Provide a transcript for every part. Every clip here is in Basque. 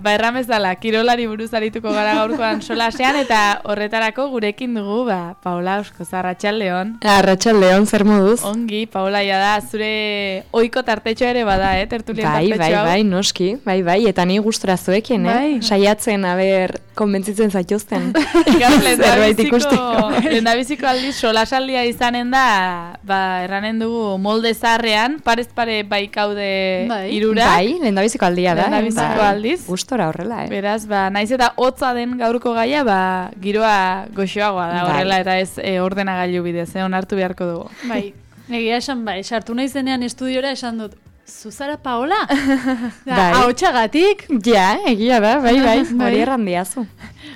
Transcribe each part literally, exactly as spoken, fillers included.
ba erramezala, kirolari buruz arituko gara gaurkoan solasean, eta horretarako gurekin dugu, ba, Paola Oskoza, Arratsaldeon. Arratsaldeon, zer moduz? Ongi, Paola, ja da, zure ohiko tartetxoa ere bada, eh, tertulien bai, tartetxoa. Bai, bai, noski, bai, bai, eta ni gustora zuekin, bai. eh? Saiatzen, aber, konbentzitzen zaituzten. Zerbait ikusteko. Lehendabiziko aldiz, solasaldia izanen da, ba, erranen dugu molde zaharrean, parez pare baikaude bai. irurak. Bai, lehendabiziko aldia da. Lehendabiziko aldiz. Gustora horrela, eh? Beraz, ba, naiz eta hotza den gaurko gaia, ba, giroa goxoagoa da horrela, bai. Eta ez e, ordenagailu bidez, eh, onartu beharko dugu. Bai, egia esan bai, sartu naizenean estudiora esan dut, Zuzara Paola? Bai. Ahotxagatik? Ja, egia da, bai, bai, hori errandiazu.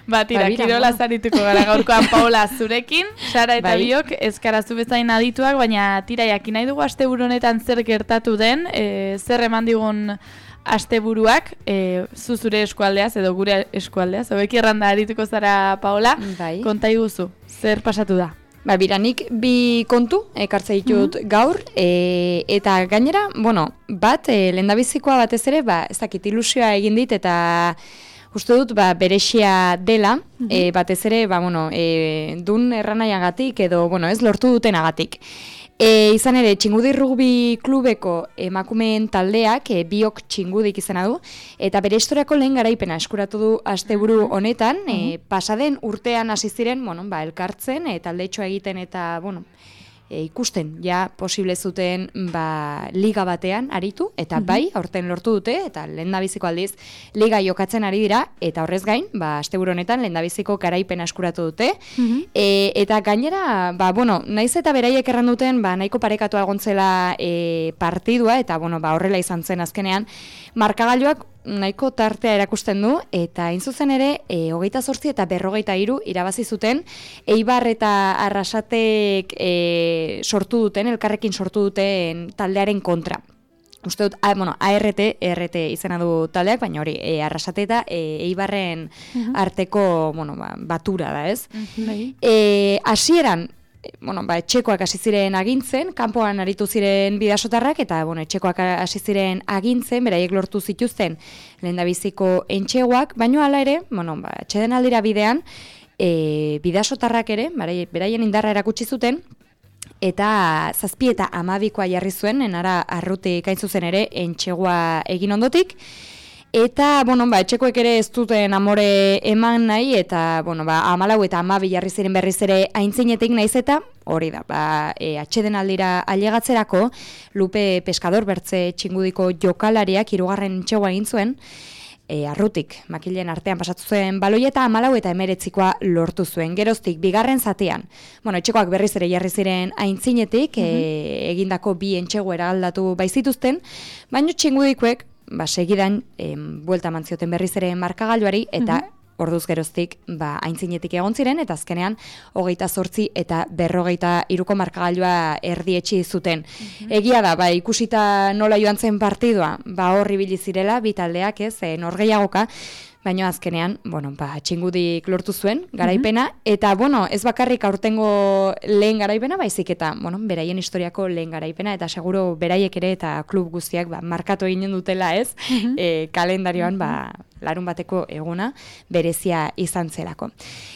Ba, tira, kirola zarituko gara gaurkoan Paola zurekin, Sara eta bai. Biok ezkarazu bezain adituak, baina tira, jakin nahi dugu asteburu honetan zer gertatu den, e, zer eman digun asteburuak, e, zu zure eskualdeaz edo gure eskualdeaz, hobeki erranda arituko zara Paola, bai. Konta iguzu, zer pasatu da? Ba, biranik bi kontu ekartze ditut mm-hmm. gaur, e, eta gainera, bueno, bat, e, lehendabizikoa batez ere, ba, ez dakit ilusioa egin dit, eta uste dut, ba, berexia dela, mm-hmm. e, batez ere, ba, bueno, e, dun erranaiagatik, edo, bueno, ez lortu dutenagatik. E, izan ere, Txingudi Rugby Klubeko emakumeen taldeak, e, biok txingudik izena du, eta bere historiako lehen garaipena eskuratu du asteburu honetan, e, pasaden urtean hasi ziren, bueno, ba, elkartzen, e, taldetxoa egiten eta, bueno, e, ikusten, ja, posible zuten, ba, liga batean aritu, eta mm-hmm. bai, aurten lortu dute, eta lehendabiziko aldiz, liga jokatzen ari dira, eta horrez gain, ba, asteburu honetan lehendabiziko garaipena eskuratu dute, mm-hmm. e, eta gainera, ba, bueno, naiz eta beraiek erran duten, ba, nahiko parekatua egontzela e, partidua, eta, bueno, ba, horrela izan zen azkenean, markagailuak nahiko tartea erakusten du, eta hain zuzen ere, e, hogeita zortzi eta berrogeita hiru irabazi zuten, Eibar eta Arrasatek e, sortu duten, elkarrekin sortu duten taldearen kontra. Uste dut, a, bueno, A R T, E R T izena du taldeak, baina hori, e, Arrasate eta e, Eibarren uh-huh. arteko, bueno, ba, batura da, ez? Uh-huh. E, hasieran, bueno, ba, etxekoak hasi ziren agintzen, kanpoan aritu ziren bidasotarrak, eta bueno, etxekoak hasi ziren agintzen, beraiek lortu zituzten lehendabiziko entxegoak, baino hala ere, bueno, ba, atxeden aldira bidean, e, bidasotarrak ere, beraien indarra erakutsi zuten, eta zazpi eta amabikoa jarri zuen, enara arrutik hain zuzen ere, entxegoa egin ondotik, eta, bueno, ba, etxekoek ere ez duten amore eman nahi, eta, bueno, ba, amalau eta amabi jarri ziren berriz ere aintzinetik naiz eta, hori da, ba, e, atxeden aldira ailegatzerako, Lupe Pescador bertze txingudiko jokalariak hirugarren entxegoa egin zuen, e, arrutik, makilen artean pasatu zuen baloi eta amalau eta emeretzikoa lortu zuen. Geroztik, bigarren zatean, bueno, etxekoak berriz ere jarri ziren aintzinetik, mm-hmm. e, egindako bi entxego eraldatu baizituzten, baina txingudikoek, ba, segidan, em, buelta mantzioten berriz ere markagailuari, eta mm-hmm. orduz geroztik, ba, aintzinetik egon ziren, eta azkenean, hogeita zortzi eta berrogeita iruko markagailua erdietxi zuten. Mm-hmm. Egia da, ba, ikusita nola joan zen partidua, ba, horri bilizirela, bitaldeak, ez, e, norgeiagoka, baina azkenean, bueno, ba, txingudik lortu zuen, garaipena, mm-hmm. eta, bueno, ez bakarrik aurtengo lehen garaipena, baizik eta, bueno, beraien historiako lehen garaipena, eta seguro beraiek ere eta klub guztiak, ba, markatu eginen dutela, ez, mm-hmm. e, kalendarioan, mm-hmm. ba, larun bateko eguna berezia izan zelako.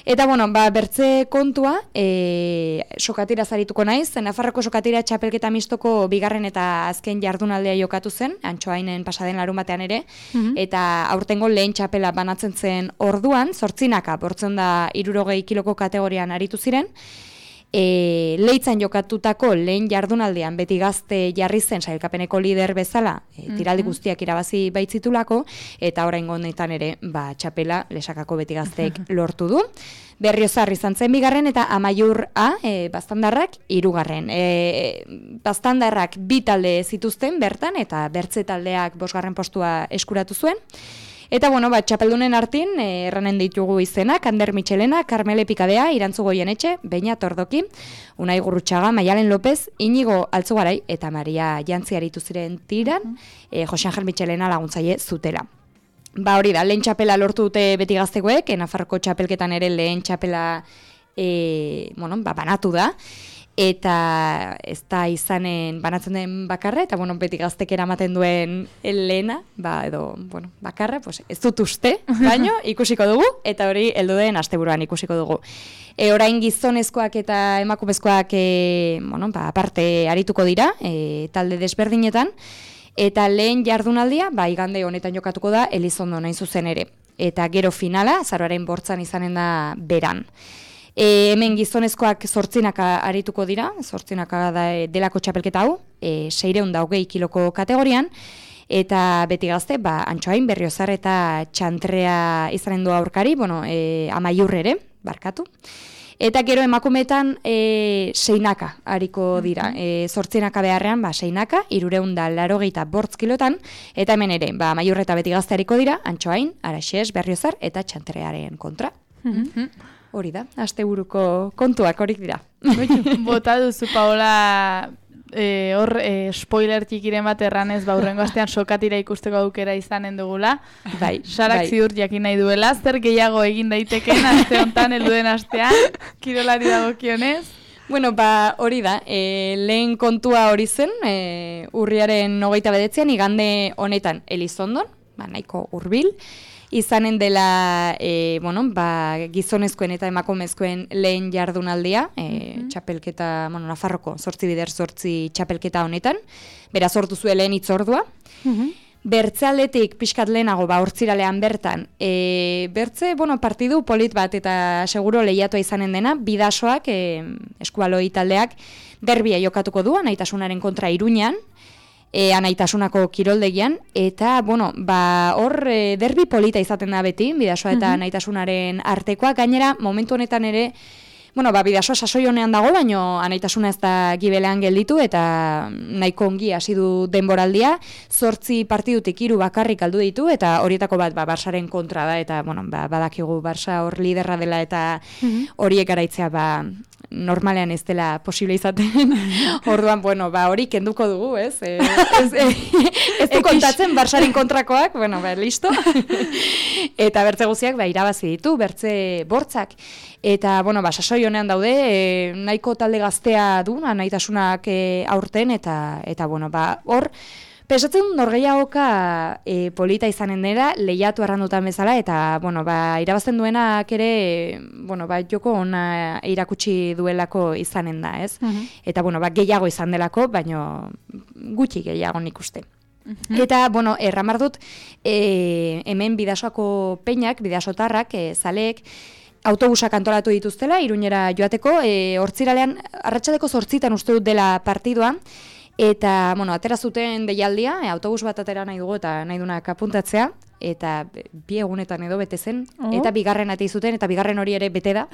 Eta, bueno, ba, bertze kontua, e, sokatira zarituko naiz, Nafarroko sokatira txapelketa mistoko bigarren eta azken jardunaldea jokatu zen, Antxoainen pasaden larun batean ere, mm-hmm. eta aurtengo lehen txapela banatzen zen orduan, zortzinaka, bortzen da hirurogei kiloko kategorian aritu ziren, E, Leitzan jokatutako lehen jardunaldean beti gazte jarri zen sailkapeneko lider bezala, e, tiraldi guztiak irabazi baitzitulako, eta oraingo honetan ere, ba, txapela lesakako beti gazteek lortu du. Berriozar izan zen bigarren eta Amaiur A, e, Baztandarrak hirugarren. E, Baztandarrak bi talde zituzten bertan, eta bertze taldeak bosgarren postua eskuratu zuen. Eta, bueno, ba, txapeldunen artin, eh, erranen ditugu izenak, Ander Michelena, Karmele Pikadea, Irantzu Goienetxe, Beñat Ordoki, Unai Gurrutxaga, Maialen López, Inigo Altzugarai, eta Maria Jantzi aritu ziren tiran, mm -hmm. eh, Jose Angel Michelena laguntzaile zutela. Ba, hori da, lehen txapela lortu dute beti gaztekoek, Nafarroko txapelketan ere lehen txapela, e, bueno, ba, banatu da. eta ez da izanen banatzen den bakarra, eta bueno, beti gaztek eramaten duen lehena, ba, edo, bueno, bakarra, pues, ez dut uste, baino, ikusiko dugu, eta hori heldu den asteburuan ikusiko dugu. E, orain gizonezkoak eta emakumezkoak e, bueno, ba, aparte arituko dira, e, talde desberdinetan, eta lehen jardunaldia, ba, igande honetan jokatuko da, Elizondo nain zuzen ere. Eta gero finala, azaroaren bortzan izanen da beran. E, hemen gizonezkoak zortzinaka arituko dira, zortzinaka da delako txapelketa hau, e, seireun da hogei kiloko kategorian, eta beti gazte, ba, Antxoain, Berriozar eta Txantrea izanen du aurkari, bueno, e, Amaiur ere, barkatu. Eta gero emakumeetan e, seinaka ariko dira, e, zortzinaka beharrean, ba, seinaka, irureun da larogeita bortz kilotan, eta hemen ere, ba, Amaiur eta beti gazte ariko dira, Antxoain, Araxes, Berriozar eta Txantrearen kontra. Hori da, asteburuko kontuak horik dira. Bota duzu, Paola, e, hor e, spoiler txikiren bat erranez, ba, hurrengo astean sokatira ikusteko aukera izanen dugula. Bai, Sarak bai. ziur jakin nahi duela, zer gehiago egin daiteken aste honetan helduen astean, kirolari dagokionez. Bueno, ba, hori da, e, lehen kontua hori zen, e, urriaren hogeita bedetzean, igande honetan Elizondon, ba, nahiko hurbil, izanen dela e, bueno, ba, gizonezkoen eta emakumezkoen lehen jardunaldia, e, mm-hmm. txapelketa, bueno, Nafarroko zortzi bider zortzi txapelketa honetan, bera sortu zuen lehen itzordua. Mm-hmm. Bertzealdetik pixkat lehenago, ba, hortziralean bertan, e, bertze, bueno, partidu polit bat eta seguro lehiatua izanen dena, bidasoak, e, eskualoi taldeak, derbia jokatuko du, Anaitasunaren kontra Iruñan, E, anaitasunako kiroldegian, eta, bueno, ba, hor e, derbi polita izaten da beti, bidasoa eta mm-hmm. anaitasunaren artekoa, gainera, momentu honetan ere, bueno, ba, bidasoa sasoi honean dago, baino anaitasuna ez da gibelean gelditu, eta nahiko ongi hasi du denboraldia, zortzi partidutik hiru bakarrik aldu ditu, eta horietako bat, ba, Barsaren kontra da, eta, bueno, ba, badakigu Barsa hor liderra dela, eta mm-hmm. horiek garaitzea, ba, normalean ez dela posible izaten. Orduan, bueno, ba, hori kenduko dugu, ez? E, ez, e, ez du kontatzen Barsaren kontrakoak, bueno, ba, listo. Eta bertze guziak, ba, irabazi ditu, bertze bortzak. Eta, bueno, ba, sasoi honean daude, e, nahiko talde gaztea du, anaitasunak e, aurten, eta, eta bueno, ba, hor, pesatzen norgehiagoka e, polita izanen dela, lehiatu arrandutan bezala, eta, bueno, ba, irabazten duenak ere, bueno, ba, joko ona irakutsi duelako izanen da, ez? Uh-huh. Eta, bueno, ba, gehiago izan delako, baino gutxi gehiago nik uste. Uh-huh. Eta, bueno, erramar dut, e, hemen bidasoako peinak, bidasotarrak, e, zaleek, autobusak antolatu dituztela, Iruñera joateko, e, hortziralean, arratsaldeko zortzitan uste dut dela partidua, eta, bueno, atera zuten deialdia, e, autobus bat atera nahi dugu eta nahi dunak apuntatzea, eta bi egunetan edo bete zen, oh. eta bigarren atei zuten, eta bigarren hori ere bete da.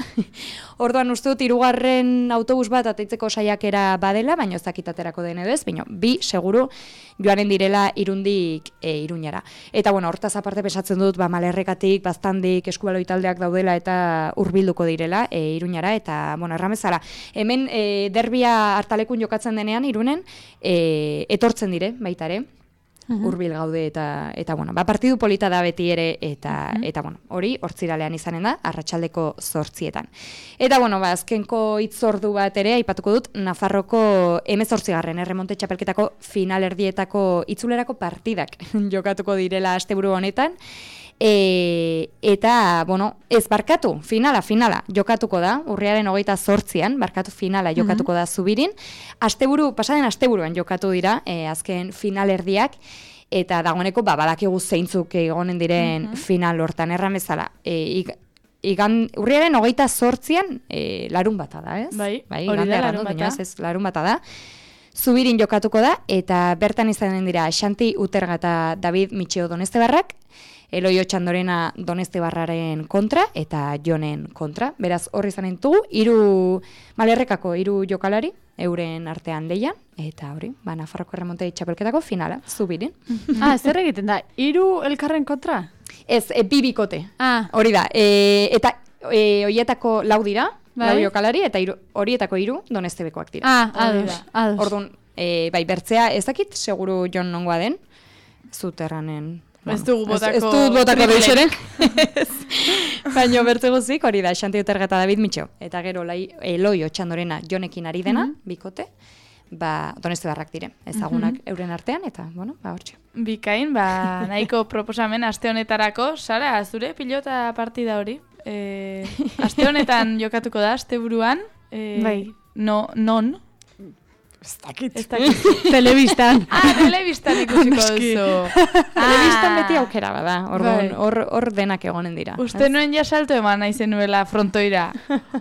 Orduan uste dut, hirugarren autobus bat ateitzeko saiakera badela, baina ez dakit aterako den edo ez, baina bi, seguru, joanen direla Irundik e, Iruñara. Eta, bueno, hortaz aparte pesatzen dut, ba, Malerrekatik, Baztandik, eskubaloi taldeak daudela eta hurbilduko direla e, Iruñara, eta, bueno, erramezala. Hemen e, derbia hartalekun jokatzen denean, Irunen, e, etortzen dire, baita ere. Uh-huh. Hurbil gaude eta eta bueno, ba partidu polita da beti ere eta uh-huh. eta bueno, hori hortziralean izanen da arratsaldeko zortzietan. Eta bueno, ba azkenko hitzordu bat ere aipatuko dut Nafarroko hemezortzigarren erremonte txapelketako finalerdietako itzulerako partidak jokatuko direla asteburu honetan. E, eta, bueno, ez barkatu, finala, finala, jokatuko da, urriaren hogeita zortzian, barkatu finala jokatuko mm-hmm. da Zubirin. Asteburu, pasaden asteburuan jokatu dira, e, azken finalerdiak, eta dagoeneko, ba, badakigu zeintzuk egonen diren mm-hmm. final hortan erramezala. E, ik, igan, urriaren hogeita zortzian, e, larun bata da, ez? Bai, bai hori da larun bata. Ez, ez, larun bata da. Zubirin jokatuko da, eta bertan izanen dira Xanti Uterga eta David Mitxeo Donestebarrak, Eloi Otxandorena Donestebarraren kontra eta Jonen kontra. Beraz, horri izanen dugu, hiru Malerrekako hiru jokalari, euren artean leian, eta hori, ba, Nafarroko erremonte txapelketako finala, Zubirin. Ah, zer egiten da, hiru elkarren kontra? Ez, e, bi bikote, ah. hori da, e, eta e, horietako lau dira, bai? Lau jokalari, eta iru, horietako hiru Donestebekoak dira. Ah, ados, ados. Orduan, e, bai, bertzea, ez dakit, seguru Jon nongoa den, Zuterranen Ez dugu botako... Ez dut botako deixeren. Baina bertze guzik, hori da, Xanti Uterga eta David Mitxo. Eta gero, lai, Eloi Otxandorena Jonekin ari dena, mm-hmm. bikote, ba, Doneste Barrak dire, ezagunak mm-hmm. euren artean, eta, bueno, ba, hortxe. Bikain, ba, nahiko proposamen aste honetarako, Sara, zure pilota partida hori. E, aste honetan jokatuko da, aste buruan, e, bai. no, non? Ez dakit. Ez dakit. Telebistan. Ah, telebistan ikusiko duzu. Telebistan beti aukera bada, Bai. hor hor denak egonen dira. Uste nuen ja salto eman naizen nuela frontoira.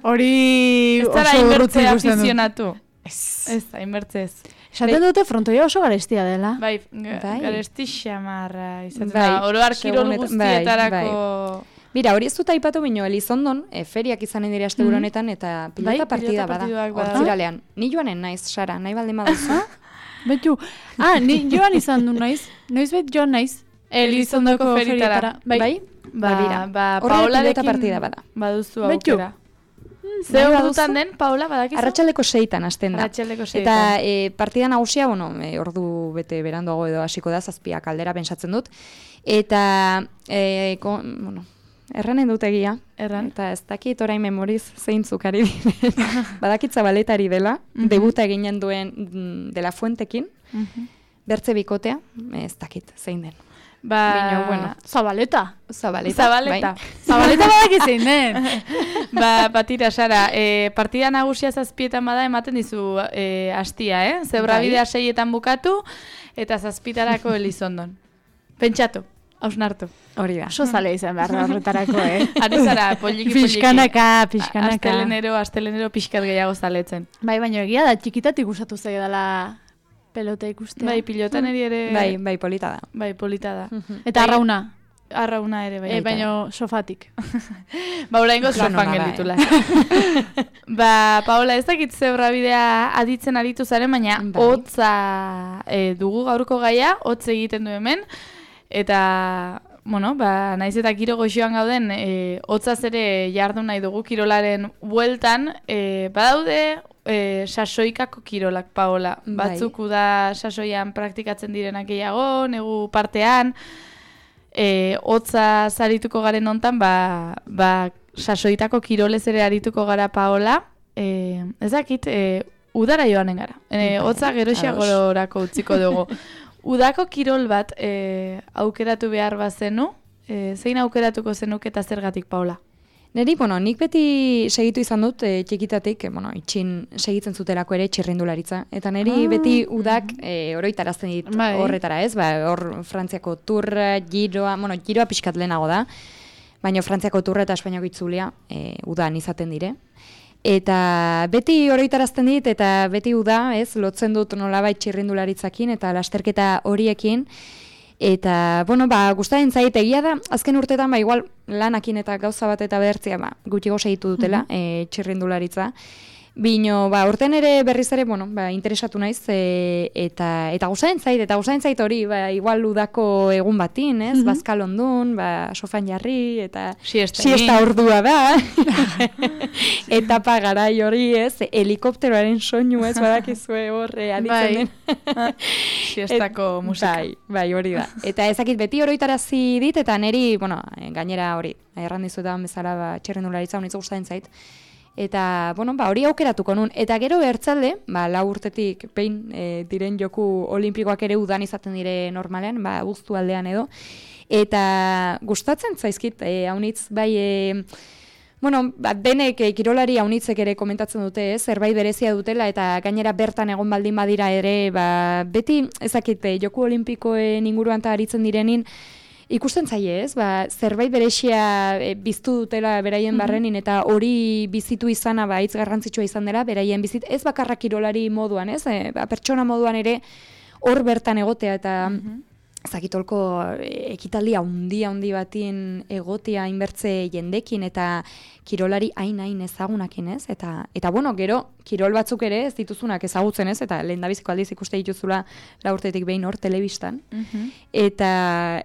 Hori Ez zara oso urrutzi inbertzea ikusten dut. afizionatu. Ez. Ez da, inbertzez. Esaten dute frontoia oso garestia dela. Bai, ga- Bai. garesti xamarra izaten Bai, da. Oro har kirol segunetan- guztietarako... Mira, hori ez dut aipatu bino, Elizondon, e, feriak izanen dira asteburu honetan, eta pilota Bai, partida pilota bada, partiduak bada. hortziralean. Ni joanen naiz, Sara, nahi baldin baduzu. Betu, ah, ni joan izan du naiz. Noiz bet joan naiz. Elizondoko ferietara. Bai. Bai? Ba, bira. ba, Horrela Paolarekin pilota partida bada. baduzu Beitu. aukera. Nahi Ze baduzu? ordutan den, Paula, badakizu? Arratsaldeko seitan hasten da. Arratsaldeko Eta seitan. e, partida nagusia, bueno, e, ordu bete beranduago edo hasiko da, zazpiak aldera pentsatzen dut. Eta, e, ko, bueno, erranen dut egia. Erran. Eta ez dakit orain memoriz zeintzuk ari diren. Badakit Zabaletari dela, Mhm. debuta eginen duen mm, De La Fuentekin, Mhm. bertze bikotea, ez dakit zein den. Ba, Baina, bueno. Zabaleta. Zabaleta. Zabaleta. Bai. Zabaleta badaki zein den. Ba, batira, Sara, e, partida nagusia zazpietan bada ematen dizu e, astia, eh? Zebrabidea seietan bukatu, eta zazpitarako Elizondon. Pentsatu, hausnartu. Hori da. Oso zale izan behar da horretarako, eh? Ari zara, poliki, poliki. Pixkanaka, pixkanaka. Astelenero, astelenero pixkat gehiago zaletzen. Bai, baina egia da, txikitatik gustatu zaio dela pelota ikustea. Bai, pilotan eri ere... Bai, bai, polita da. Bai, polita da. Eta Bai, arrauna. Arrauna ere, bai. E, baina sofatik. Ba, oraingo Lan sofan ona da, gelditula. Ba, Paola, ez dakit zebrabidea aditzen aritu zaren, baina Bai. hotza e, dugu gaurko gaia, hotz egiten du hemen, eta, bueno, ba, naiz eta kiro goxoan gauden, e, hotzaz ere jardun nahi dugu kirolaren bueltan, e, badaude e, sasoikako kirolak, Paola. Bai. Batzuk da sasoian praktikatzen direnak gehiago, negu partean, e, hotza zarituko garen hontan, ba, ba, sasoitako kirolez ere arituko gara, Paola. E, ez dakit, e, udara joanen gara. E, hotza geroxiagorako utziko dugu. Udako kirol bat e, aukeratu behar bazenu, e, zein aukeratuko zenuk eta zergatik, Paola? Neri, bueno, nik beti segitu izan dut e, txikitatik, e, bueno, itxin segitzen zutelako ere txirrindularitza. Eta neri Ah. beti udak e, oroitarazten dit Bai. horretara, ez? Ba, hor Frantziako turra, giroa, bueno, giroa pixkat lehenago da, baina Frantziako turra eta Espainiako itzulia e, udan izaten dire. Eta beti oroitarazten dit, eta beti uda, ez, lotzen dut nolabait txirrindularitzakin eta lasterketa horiekin. Eta, bueno, ba, gustaren zait egia da, azken urtetan, ba, igual lanakin eta gauza bat eta behertzia, ba, gutxigo segitu dutela, mm -hmm. e, txirrindularitza. Bino, ba, urten ere berriz ere, bueno, ba, interesatu naiz, e, eta eta gustaren zait, eta gustaren zait hori, ba, igual udako egun batin, ez, mm -hmm. bazkal ondun, ba, sofan jarri, eta Siesta siesta ordua da, etapa garai hori, ez, helikopteroaren soinu, ez, badakizue horre aditzen den. Siestako musika. Bai, bai, hori da. Eta ezakit beti oroitarazi dit, eta neri, bueno, gainera hori, erran dizuetan bezala, ba, txirrindularitza honitza gustatzen zait. Eta, bueno, ba, hori aukeratuko nun. Eta gero bertzalde, ba, lau urtetik behin e, diren joku olimpikoak ere udan izaten dire normalean, ba, guztu aldean edo. Eta gustatzen zaizkit, e, haunitz, bai, e, bueno, ba, denek e, kirolari haunitzek ere komentatzen dute, ez, zerbait berezia dutela, eta gainera bertan egon baldin badira ere, ba, beti, ezakit, e, joku olimpikoen inguruan eta aritzen direnin, ikusten zaie, ez? Ba, zerbait berexia e, biztu dutela beraien barrenin, eta hori bizitu izana ba, hitz garrantzitsua izan dela, beraien bizit, ez bakarra kirolari moduan, ez? E, ba, pertsona moduan ere hor bertan egotea, eta ezakitolko ekitaldi handi handi batin egotea inbertze jendekin, eta kirolari hain hain ezagunakin, ez? Eta, eta bueno, gero, kirol batzuk ere ez dituzunak ezagutzen, ez? Eta lehendabiziko aldiz ikuste dituzula la urtetik behin hor telebistan. Mhm. Eta,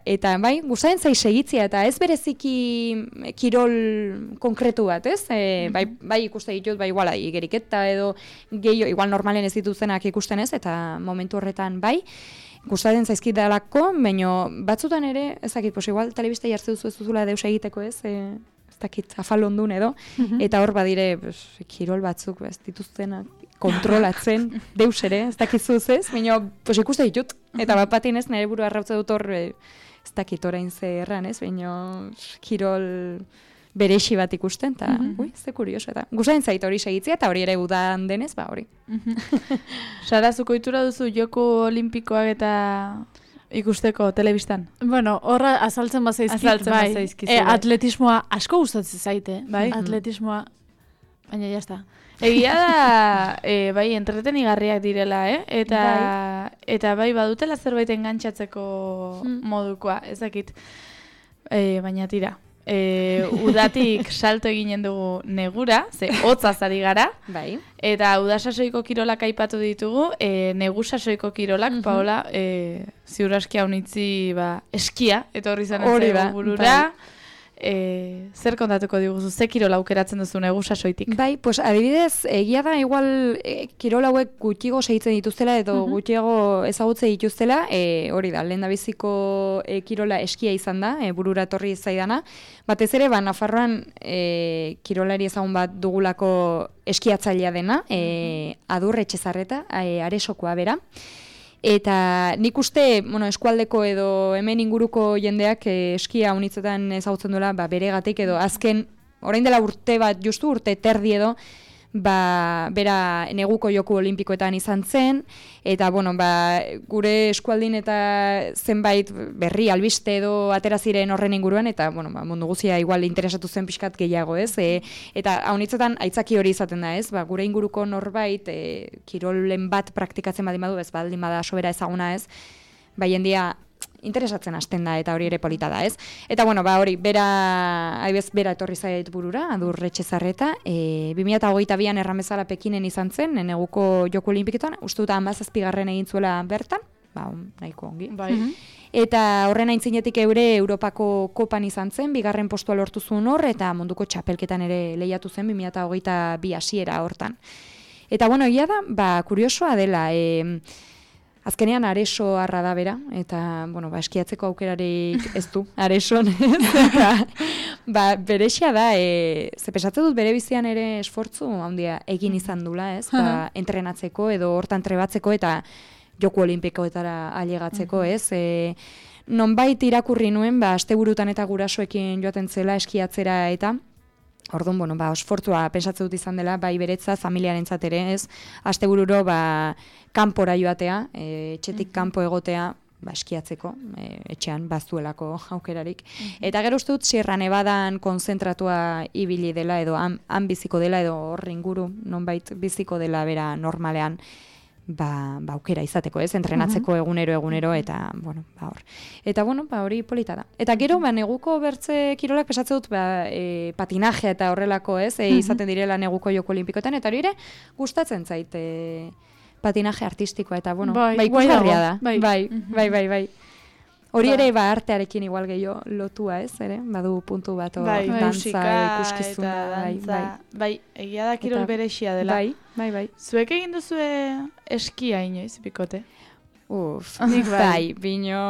eta bai, gustatzen zai segitzea, eta ez bereziki kirol konkretu bat, ez? E, bai, bai ikuste ditut, bai iguala, igeriketa edo gehiago, igual normalen ez dituzenak ikusten ez, eta momentu horretan bai. gustatzen zaizkidalako, baina batzutan ere, ezakit, pues igual telebista jartze duzu ez duzula deus egiteko ez, e, ez dakit, afalondun edo, mm-hmm. eta hor badire, pues, kirol batzuk, ez dituztenak, kontrolatzen, deus ere, ez dakizuz ez, baina, pues ikuste ditut, eta bat batin ez, nire buru arrautze dut hor, e, ez dakit orain ze erran ez, baina kirol berexi bat ikusten, eta, mm-hmm. ui, ze kurioso, eta gustatzen zait hori segitzea, eta hori ere udan denez, ba hori. Mm-hmm. Sara, zuko itura duzu Joko Olimpikoak eta ikusteko telebistan? Bueno, horra azaltzen bazaizkit, azaltzen bai, bazaizkizu, e, bai. Atletismoa asko gustatzen zaite, bai? Atletismoa, baina jazta. Egia da, e, bai, entretenigarriak direla, eh? Eta bai, eta bai badutela zerbait engantzatzeko mm. modukoa, ezakit. E, baina tira. E, udatik salto eginen dugu negura, ze hotza zari gara, bai. Eta udasasoiko kirolak aipatu ditugu, e, negusasoiko kirolak, mm-hmm. Paola, e, ziurazki haunitzi ba, eskia, eta horri zanen zaigu burura. Bai. E, zer kontatuko diguzu, ze kirola aukeratzen duzu negusasoitik? Bai, pues adibidez, egia da igual e, kirol hauek gutxigo segitzen dituztela edo uh-huh. gutxiago ezagutze dituztela, e, hori da, lehen da biziko e, kirola eskia izan da, e, burura etorri zaidana. Batez ere, ba, Nafarroan e, kirolari ezagun bat dugulako eskiatzailea dena, e, Adur Etxezarreta, e, Aresokoa bera. Eta nik uste, bueno, eskualdeko edo hemen inguruko jendeak eh, eskia unitzetan ezagutzen duela, ba, beregatik edo azken, orain dela urte bat, justu urte terdi edo, ba, bera neguko Joku Olimpikoetan izan zen, eta bueno, ba, gure eskualdin eta zenbait berri albiste edo atera ziren horren inguruan, eta bueno, ba, mundu guzia igual interesatu zen pixkat gehiago, ez? E, eta haunitzetan aitzaki hori izaten da, ez? Ba, gure inguruko norbait, e, kirolen bat praktikatzen badin badu, ez baldin bada sobera ezaguna, ez? Ba, jendia interesatzen hasten da eta hori ere polita da, ez? Eta bueno, ba hori, bera, aibez, bera etorri zait burura, Adur Etxezarreta, e, bi mila hogeita bian erramezala Pekinen izan zen, neguko Joko Olimpiketan, uste dut hamazazpigarren egin zuela bertan, ba, nahiko ongi. Bai. Eta horren aintzinetik eure Europako kopan izan zen, bigarren postua lortu zuen hor, eta munduko txapelketan ere lehiatu zen, bi mila hogeita bi hasiera hortan. Eta bueno, egia da, ba, kuriosoa dela, e, azkenean Areso arra da bera, eta, bueno, ba, eskiatzeko aukerarik ez du, Areson, eta, ba, berexia da, e, ze pesatze dut bere bizian ere esfortzu handia egin izan dula, ez, ba, entrenatzeko edo hortan trebatzeko eta Joko Olimpikoetara ailegatzeko, ez, e, nonbait irakurri nuen, ba, asteburutan eta gurasoekin joaten zela eskiatzera eta, orduan, bueno, ba, esfortzua pensatze dut izan dela, bai beretza, familiarentzat ere, ez, astebururo, ba, kanpora joatea, e, etxetik kanpo egotea, ba, eskiatzeko, e, etxean baztuelako aukerarik. Eta gero uste dut, Sierra Nevadan konzentratua ibili dela, edo han, han biziko dela, edo hor inguru, nonbait biziko dela bera normalean, ba, ba aukera izateko, ez, entrenatzeko egunero egunero, eta, bueno, ba hor. Eta, bueno, ba hori polita da. Eta gero, ba, neguko bertze kirolak pesatze dut, ba, e, patinajea eta horrelako, ez, e, izaten direla neguko Joko Olimpikoetan, eta hori ere gustatzen zait, e, patinaje artistikoa, eta, bueno, bai, ba, ikusgarria da. Bai, bai, bai, bai, bai. Hori ere, ba, artearekin igual gehiago lotua, ez, ere? Badu puntu bat, o, bai, dantza, ikuskizuna, bai, bai. Bai, egia da kirol berexia dela. Bai, bai, bai. Zuek egin duzue eskia inoiz, bikote? Uf, nik bai, bino.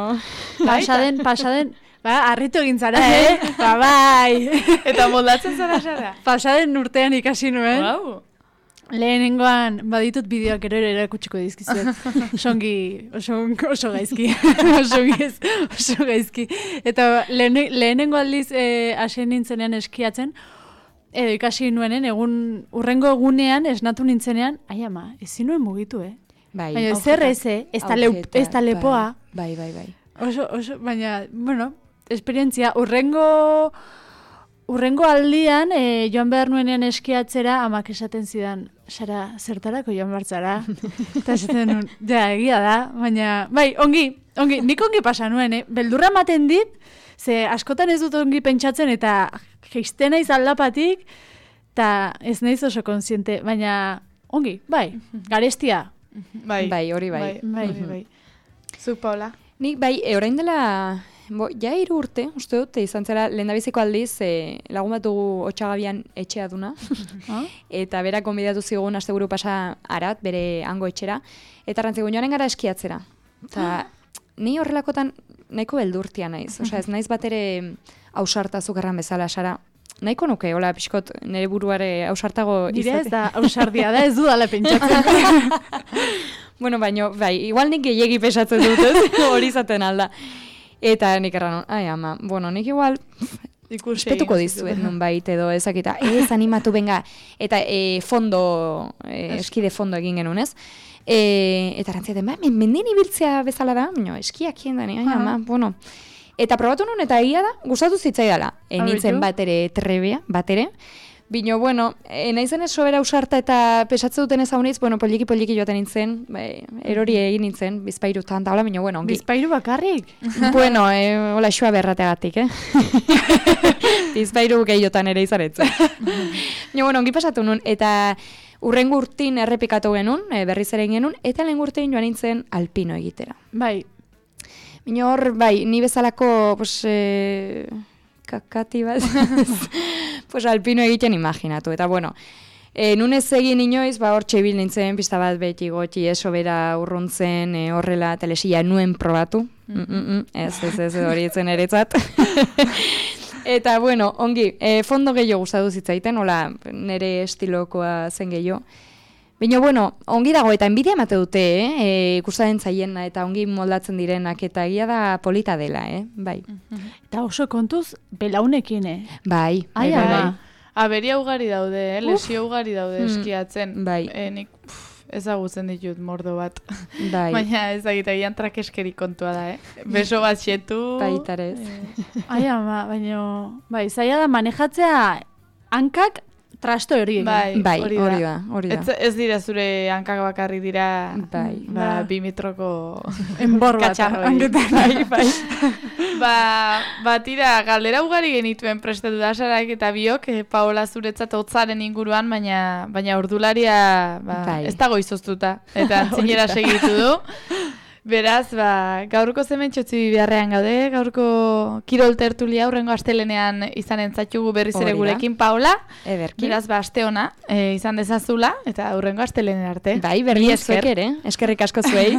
Pasaden, pasaden, ba, harritu egin zara, eh? Ba, bai. Eta moldatzen zara, Sara? Pasaden urtean ikasi nuen. Wow. Lehenengoan, baditut bideoak ero ere erakutsiko dizkizuet. Osongi, oso, oso gaizki. oso, gaiz, oso gaizki. Eta lehen, lehenengo aldiz eh, asen nintzenean eskiatzen, edo ikasi nuenen, egun, urrengo egunean esnatu nintzenean, ai ama, ezin nuen mugitu, eh? Bai. Baina zer eze, ez da lepoa. Bai, bai, bai. Oso, oso, baina, bueno, esperientzia, urrengo... Urrengo aldian, e, joan behar nuenean eskiatzera, amak esaten zidan, Sara, zertarako joan bartzara? Eta esaten nuen, ja, egia da, baina, bai, ongi, ongi, nik ongi pasa nuen, eh? Beldurra ematen dit, ze askotan ez dut ongi pentsatzen, eta geizten naiz aldapatik, eta ez naiz oso konsiente, baina, ongi, bai, garestia. Bai, bai, hori bai. Bai, bai, bai. Zu, Paula? Nik, bai, e, orain dela... Bo, ja hiru urte, uste dut, izan zera lehendabiziko aldiz e, lagun bat dugu Otxagabian etxea duna. Eta berak gonbidatu zigun asteburu pasa Arat, bere hango etxera. Eta rantzigun joanen gara eskiatzera. Eta ni horrelakotan nahiko beldurtia naiz. Osea, ez naiz bat ere ausarta zukarran bezala, Sara. Nahiko nuke, hola, pixkot, nire buruare ausartago izate. Dire ez da, ausardia da, ez du dala pentsatzen. Bueno, baino, bai, igual nik gehiegi pesatzen dut, ez? Hori izaten alda. Eta nik erran, ai ama, bueno, nik igual... Espetuko dizuet nun bait edo ezakita, ez animatu benga, eta e, fondo, e, eski de fondo egin genuen, ez? E, eta rantziaten, ba, mendin ibiltzea bezala da, no, eskiak hien da, ama, bueno. Eta probatu nun, eta egia da, gustatu zitzaidala. E, nintzen bat ere trebea, bat ere. Bino, bueno, e, naizen ez sobera usarta eta pesatze duten ez hauniz, bueno, poliki-poliki joaten nintzen, bai, erori egin nintzen, bizpairu tanta, hola, bino, bueno, ongi. Bizpairu bakarrik? Bueno, e, hola, xua berrateagatik, eh? Bizpairu gehiotan ere izaretzen. Bino, bueno, ongi pasatu nun, eta urrengo urtin errepikatu genuen, e, berriz ere genuen, eta lehen urtin joan nintzen alpino egitera. Bai. Bino hor, bai, ni bezalako, pues, e, kakati bat, pues alpino egiten imaginatu, eta bueno, e, nunez egin inoiz, ba hor txebil nintzen, pista bat beti gotxi, eso bera urruntzen, e, horrela telesia nuen probatu, mm -mm -mm, ez, ez, ez, hori etzen eretzat. Eta bueno, ongi, e, fondo gehiago gustatu zitzaiten, hola, nire estilokoa zen gehiago. Baina, bueno, ongi dago eta enbidia emate dute, eh? E, ikusten zaiena eta ongi moldatzen direnak eta egia da polita dela, eh? Bai. Eta oso kontuz, belaunekin, eh? Bai. Ai, bai, bai. Aberia ugari daude, eh? Lesio ugari daude eskiatzen. Bai. E, nik pff, ezagutzen ditut mordo bat. Bai. Baina ez egitegian trakeskeri kontua da, eh? Beso bat xetu. Baitarez. E... Ai, ama, baina, bai, zaila da manejatzea hankak trasto hori. Bai, bai, hori hori da. da, hori da. Ez, ez dira zure hankak bakarri dira, bai. Ba, bi metroko enbor bat. Katxarroi. Bai, bai. ba, ba, tira, galdera ugari genituen prestatu da, Sarak eta biok, eh, Paola zuretzat hotzaren inguruan, baina baina ordularia ba, bai. ez dago izoztuta, eta antzinera segitu du. Beraz, ba, gaurko zementxotzi beharrean gaude, gaurko kirol tertulia hurrengo astelenean izan entzatxugu berriz ere gurekin, Paola. Ederki. Beraz, ba, aste ona, e, izan dezazula, eta hurrengo astelenen arte. Bai, berri zuek ere, eskerrik asko zuei.